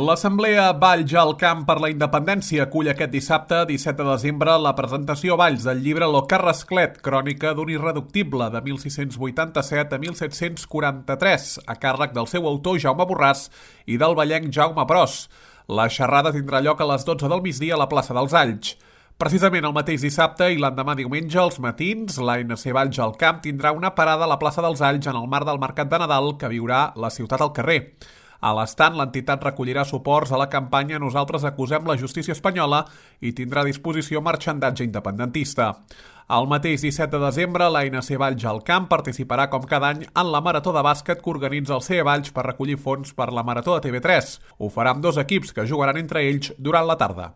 L'Assemblea Valls al Camp per la Independència acull aquest dissabte, 17 de desembre, la presentació a Valls del llibre Lo Carrasclet, crònica d'un irreductible de 1687 a 1743, a càrrec del seu autor Jaume Borràs i del vallenc Jaume Pros. La xerrada tindrà lloc a les 12 del migdia a la plaça dels Alls. Precisament el mateix dissabte i l'endemà diumenge, als matins, l'ANC Valls al Camp tindrà una parada a la plaça dels Alls en el marc del Mercat de Nadal que viurà la ciutat al carrer. A l'estant, l'entitat recollirà suports a la campanya Nosaltres acusem la justícia espanyola i tindrà a disposició marxandatge independentista. El mateix 17 de desembre, l'ANC Valls al Camp participarà com cada any en la marató de bàsquet que organitza el CE Valls per recollir fons per la marató de TV3. Ho farà amb 2 equips que jugaran entre ells durant la tarda.